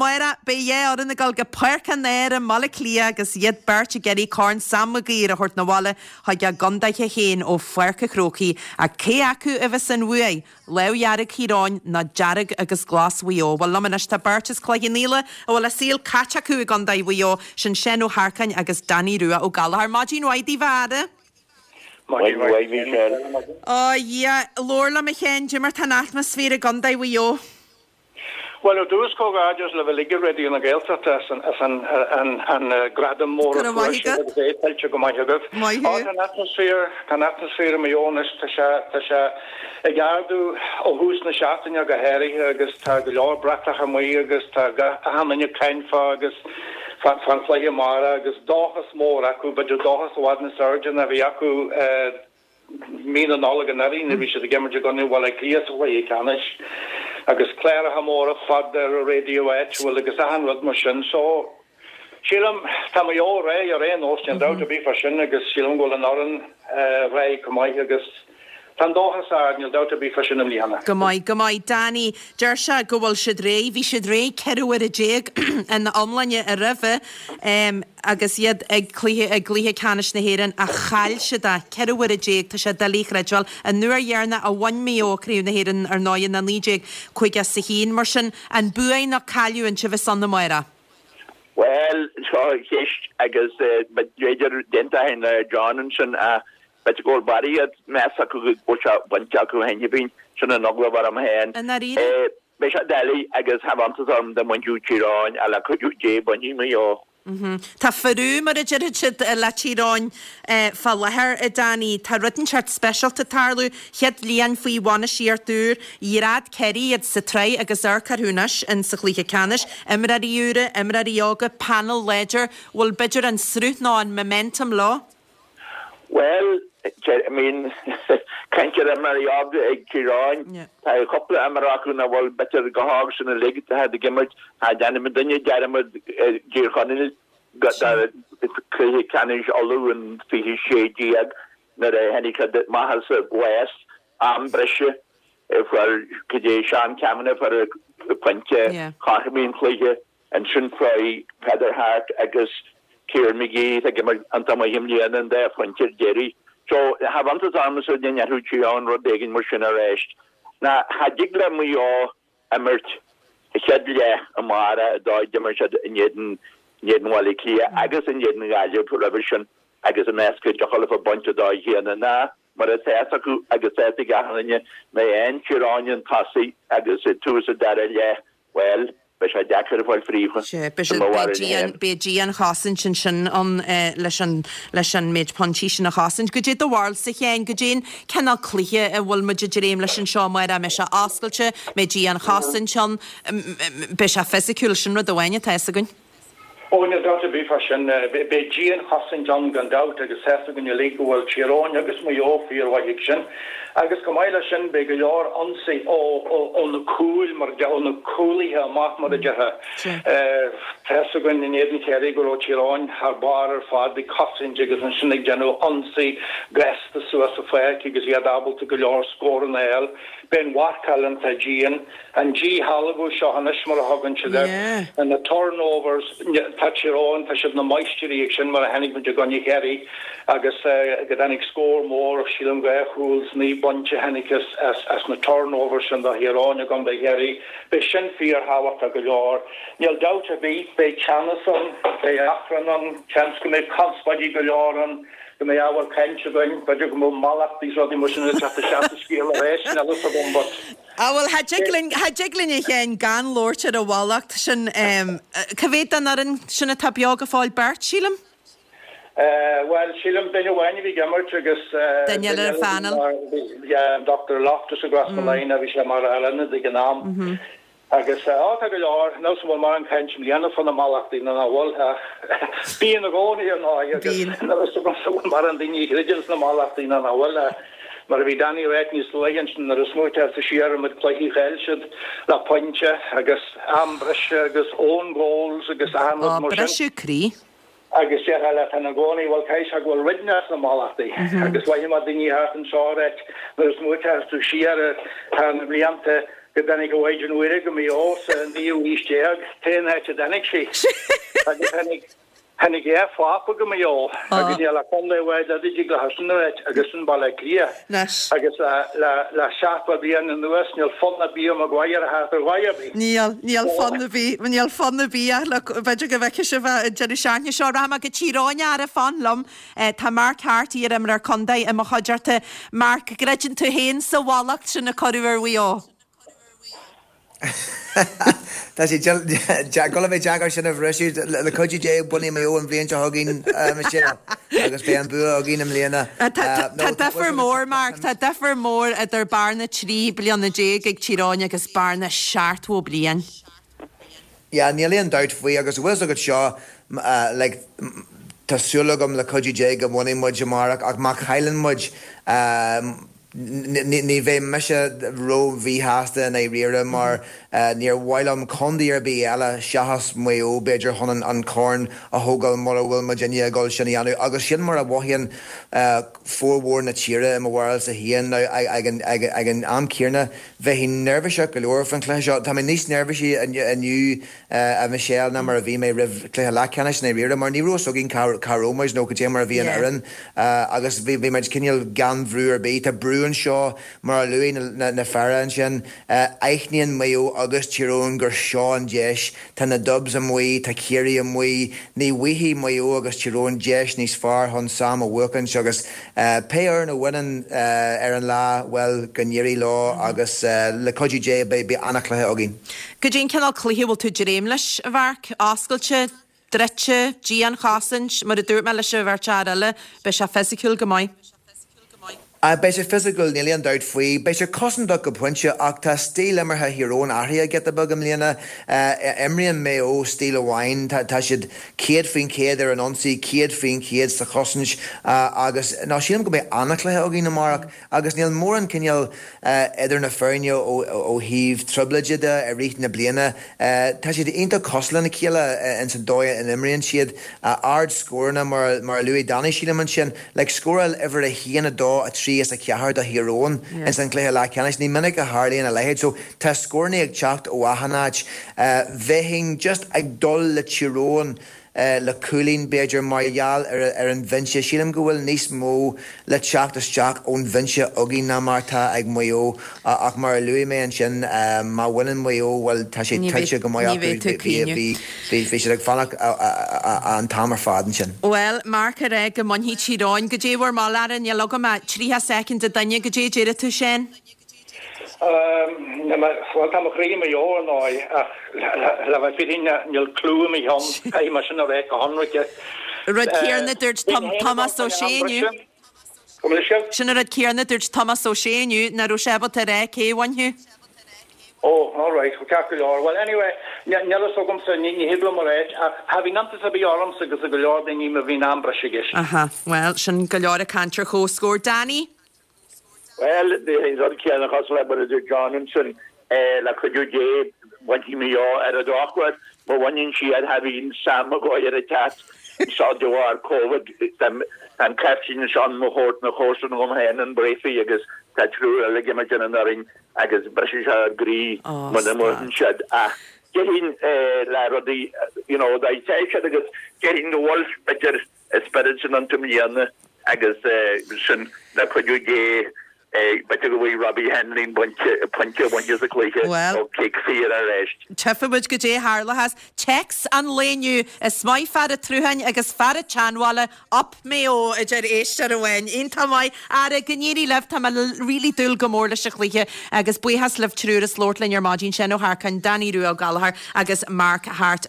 Amárach, beidh a fhoireann ag dul go Páirc an Áir i mBaile Átha Cliath agus iad beirt ag iarraidh Corn Sam Maguire a thabhairt 'na bhaile chuig a gcontaetha féin ó Pháirc an Chrócaigh. Ach cé acu a bheas an bhuaidh, Lámh Dhearg Thír Eoghain nó Dearg agus Glas Mhaigh Eo? Bhuel, liom anois tá beirt as Cloich Cheann Fhaola a bhfuil a saol caite acu i gContae Mhaigh Eo, sin Seán Ó hEarcáin agus Danny Rua Ó Gallchóir. Maidin mhaith daoibh, a fheara. Maidin mhaith, Michelle. Ó, Dhia, labhair liom a Sheáin, cad é mar tá an atmaisféar i gContae Mhaigh Eo. Bhuel, ar dtús, comhghairdeas libh uilig i Raidió na Gaeltachta as an gradam mór Go a raibh fuair maith sibh agat. agus é tuillte go maith agaibh. Maith Á, thú. tá an atmaisféar, tá an atmaisféar i Maigh Eo anois, tá sé, tá sé ag ardú ó thús na seachtaine go háirithe agus tá go leor bratach amuigh agus tá gach, achan duine ag caint fá agus fá, fán chluiche amárach agus dóchas mór acu, b'fhéidir dóchas i bhfad níos airde ná bhí acu eh, Mí na Nollag anuraidh nuair a bhí siad ag imirt i gcoinne Bhaile Átha Cliath sa chluiche ceannais agus cláracha móra fada ar an raidió áitiúil agus achan rud mar sin. So, sílim, tá Maigh Eo réidh ar aon nós, níl dabht ar bith fá sin agus sílim go bhfuil an fhoireann réidh chomh maith agus tá an dóchas ard, níl dabht ar bith fá sin i mbliana. Go maith, go maith. Danny, deir sé go bhfuil siad réidh, bhí siad réidh 14 uaire ina iomláine roimhe. Agus iad ag cluiche i gcluiche ceannais na hÉireann ach chaill siad é 14 uaire, tá sé doiligh a chreidbheáil. An uair dheireanach a bhain Maigh Eo Craobh na hÉireann ar ndóigh ná 1951. Mar sin, an buaidh nó cailleadh an té a bheas ann amárach? Bhuel, seo ceist agus b'fhéidir d'aontóinn le John ansin ach b'fhéidir go bhfuil barraíocht meas acu go bhfuil sé bainte acu cheana féin, sin an eagla a bheadh orm féin. I ndáiríre? Beidh sé doiligh agus cha bheadh iontas orm dá mbainfeadh Tír Eoghain ach le cuidiú Dé bainfidh Maigh Eo. Tá frú, mar a déarfadh siad, le Tír Eoghain fá láthair, a Danny. Tá rud inteacht speisialta ag tarlú. Chéad bhliain faoi bhainistíocht úr. Dhread Ciarraí iad sa tsraith agus amharc orthu anois in sa chluiche ceannais. Imreoirí úra, imreoirí óga, panel láidir. Bhfuil b'fhéidir an sruth nó an momentum leo? Bhuel, I mean, caint ar imreoirí óga ag Tír Eoghain, tá cúpla imreoir acu nach bhfuil b'fhéidir chomh hóg sin uilig atá ag imirt. Cha dhéanfaidh duine dearmad i dTír Chonaill do chluiche ceannais Uladh in 2016 nuair a tháinig siad amach as an bhás, am breise, fuair cad é Seán Cavanagh fuair pointe chothromaigh an chluiche. Ansin fuair Peadar Harte agus Kieran McGee, atá ag imirt iontach maith i mbliana, an dá phointe ar deireadh. So, cha bheadh iontas ormsa dá ndéanfadh Tír Eoghain rud éigin mar sin arís. Ná cha dtig le Maigh Eo imirt a chéad leath amárach an dóigh a d'imir siad in éadan in éadan Bhaile Átha Cliath agus in éadan Ghaillimh roimhe sin agus a meas go dtiocfadh leofa baint an dóigh chéanna. Ná mar atá fhios acu agus tá fhios ag achan duine, má fhaigheann Tír Eoghain an tosaigh agus tús an dara leath, Bhuel, beidh sé deacair a fáil fríofa, Sea, beidh i siad, mo beidh bharúil dian, féin. beidh dianchosaint ansin ann leis an, leis an méid pointí sin a chosaint. Goidé do bharúilsa, a Sheáin, goidé an cineál cluiche a bhfuil muid ag dréim leis anseo amárach, an mbeidh sé oscailte, mbeidh dianchosaint ann, beidh sé fisiciúil, sin rud amháin atá fhios againn. Ó, níl dabht ar bith fá sin. Beidh dianchosaint ann gan dabht agus tá fhios againn uilig go bhfuil Tír Eoghain agus Maigh Eo fíormhaith ag sin. Agus chomh maith leis sin beidh go leor ionsaí ó na cúil, mar a déarfá, ó na cúlaithe amach mar a déarfá. Tá fhios againn in éadan Chiarraí go raibh Tír Eoghain thar barr ar fad ag cosaint agus ansin ag déanamh ionsaí gasta suas sa pháirc agus iad ábalta go leor scóranna a fháil. Beidh an mharcáil iontach dian. An díshealbhú seo anois, mar a thugann siad air, na turnovers, tá Tír Eoghain, tá siad na máistirí ag sin mar a chonaic muid i gcoinne Chiarraí agus go dtáinig scór mór, sílim 2 chúl 's 9 bpointe a tháinig as na turnovers sin do Thír Eoghain i gcontae Chiarraí. Beidh sin fíorthábhachtach go leor. Níl dabht ar bith, beidh teannas ann, beidh achrann ann, seans go mbeidh conspóidí go leor ann, go mbeidh ábhar cainte againn, b'fhéidir go mbeidh mallachtaí 's rudaí mar sin ag teacht isteach sa scéal arís, níl a fhios agam but. Á bhuel, cha dtig linn, cha dtig linn a Sheáin gan labhairt ar an mhallacht sin. Cá mhéad den fhoireann sin atá beo go fóill? Beirt, sílim? Bhuel, sílim duine amháin a bhí ag imirt agus Duine eile ar an phainéal. Yeah, an Dr. Loftus i gCrossmolina, bhí sé mar fhear ionaid ag an am. Agus, á, tá go leor, níl 's agam an bhfuil mórán caint i mbliana fá na mallachtaí nó nach bhfuil, ach bíonn i gcónaí ar ndóigh agus níl 'fhios agam an bhfuil mórán daoine a chreideann sna mallachtaí nó nach bhfuil ach mar a bhí Danny ag ráit níos luaithe ansin nuair a smaoiteofá siar an méid cluichí a chaill siad le pointe agus am breise agus own goals agus achan Á, rud mar sin. briseadh croí. Agus déarfá leat féin i gcónaí, bhuel, caithfidh sé go bhfuil rud inteacht sna mallachtaí. Agus mhothaigh mé daoine thart anseo ag ráit nuair a smaoiteos tú siar ar na blianta. Go dtáinig an Mhaighdean Mhuire go Maigh Eo sa naoú aois déag, t-aon áit a dtáinig sí. Agus tháinig, tháinig a Phápa go Maigh Eo agus níl ach contae amháin eile a dtig leis sin a ráit agus sin Baile Átha Cliath. Agus le, le, le 70 bliain anuas níl fonn ar bith ar Maguire a theacht ar dhóigh ar bith. Níl, níl fonn ar bith, níl fonn ar bith ach look, b'fhéidir go bhfeicfidh sibh an deireadh seachtaine seo. Rachaidh mé go Tír Eoghain, a fheara, fan liom. Tá Mark Harte, iar-imreoir contae, i mo chuideachta. Mark, an gcreideann tú féin sa mhallacht sin a cuireadh ar Mhaigh Eo? Tá sé ag dul a bheith deacair sin a bhriseadh. Le cuidiú Dé, bainfidh Maigh Eo an bhliain seo chugainn, Michelle, agus beidh an bua againn i mbliana. Tá difear mór, Mark, tá difear mór idir bearna 13 bliana ag Tír Eoghain agus bearna 70 bliain. Yeah, níl aon dabht faoi agus bhfuil fhios agat seo, like, tá súil agam le cuidiú Dé go mbainfidh muid amárach ach má chailleann muid, ní bheidh mise ró-mhíshásta i ndáiríre mar níor mhaith liom contae ar bith eile seachas Maigh Eo b'fhéidir chun an corn a thógáil mura bhfuil muidinne ag dul sin a dhéanamh agus sin mar a mhothaíonn formhór na tíre i mo bharúilsa féin. Now ag an am céanna Bheinn neirbhíseach go leor faoin chluiche seo. Tá mé níos neirbhísí inniu, a Mhichelle, ná mar a bhí mé roimh chluiche leathcheannais i ndáiríre, mar ní raibh fhios againn cá raibh muid nó cad é mar a bhí an fhoireann agus bhí muid cineál gan bhrú ar bith. Tá brú anseo, mar a luaigh na fir ansin. Aithníonn Maigh Eo agus Tír Eoghain gur seo an deis. Tá na Dubs amuigh, tá Ciarraí amuigh. Ní bhfaighidh Maigh Eo agus Tír Eoghain deis níos fearr chun Sam a bhuachaint agus pé fhoireann a bhaineann ar an lá, bhuel, go n-éirí leo agus le cuidiú Dé beidh an-chluiche againn. Goidé an cineál cluiche a bhfuil tú ag dréim leis, a Mharc? Oscailte, druidte, dianchosaint, mar a dúirt mé leis an bheirt fhear eile, beidh sé fisiciúil go maith. Beidh sé fisiciúil, níl aon dabht faoi. Beidh sé cosantach go pointe ach tá stíl imeartha Thír Eoghain athraithe giota beag i mbliana. Imríonn Maigh Eo stíl amháin, tá siad 100% ar an ionsaí, 100% sa chosaint agus nó sílim go mbeidh an-chluiche againn amárach agus níl mórán cineál idir na foirne ó thaobh trioblóide de i rith na bliana. Tá siad iontach cosúil lena chéile ins an dóigh a n-imríonn siad. Ard-scóranna mar a luaigh Danny sílim ansin. Like, scóráil uimhir a haon, a dó, a trí is a ceathair do Thír Eoghain ins an gcluiche leathcheannais. Ní minic a tharlaíonn a leithéid. So, tá scórannaí ag teacht ó achan áit. Bheinn just ag dul le Tír Eoghain le cúilín, b'fhéidir, mar gheall ar ar an bhinse. Sílim go bhfuil níos mó le teacht isteach ón bhinse againn ná mar atá ag Maigh Eo. Ach mar a luaigh mé ansin, má bhaineann Maigh Eo, bhuel, tá sé tuillte go maith acu. Bhí siad ag fanacht an t-am ar fad ansin. Bhuel, Mark ag rá go mbainfidh Tír Eoghain. Goidé bhur moladh, a fheara, níl agam ach 30 soicind an duine. Goidé a déarfaidh tú, Shane? Bhuel, tá mo chroí i Maigh Eo, ar ndóigh, ach le bheith fírinneach, níl clue i mo cheann. Caithfidh mé sin a rá go hionraice. Rud céanna a dúirt Tomás Ó Sé inniu. Sin an rud céanna a dúirt Tomás Ó Sé inniu, nach raibh sé ábalta a rá cé a bhainfeadh. Oh, alright, ceart go leor. Well, anyway, níl fhios agamsa, ní thig liom a ráit, ach cha bhíonn iontas ar bith ormsa agus ar go leor daoine má bhíonn am breise i gceist. Aha, bhuel, sin go leor ag caint ar chomhscór. Danny? Bhuel, an rud céanna cosúil le mar a dúirt John ansin, le cuidiú Dé, bainfidh Maigh Eo ar an drochuair, má bhaineann siad, cha bhíonn Sam Maguire ag teacht anseo de bharr Covid. Tá an caiftín anseo i mo chomharsan dhom féin, an Breaffy, agus tá triúr eile ag imirt ar an fhoireann agus briseann sé ár gcroí muna mbuann siad. Ach déarfainn le rudaí, you know, dá dtéadh siad agus déarfainn go bhfuil, b'fhéidir, an spiorad sin iontu i mbliana agus sin le cuidiú Dé b'fhéidir go bhfaighidh Robbie Hanley pointe a bhaint as an gcluiche ó cic saor arís. Tchífidh muid goidé a tharlóchas. Téacs an lae inniu, Is maith fear an tsrutháin agus fear an tseanbhaile, Up Maigh Eo, a deir éisteoir amháin. Iontach maith. A fheara, go n-éirí libh. Tá mé really dúil go mór leis an chluiche agus buíochas libh triúr as labhairt linn ar maidin, Seán Ó hEarcáin, Danny Rua Ó Gallchóir agus Mark Harte.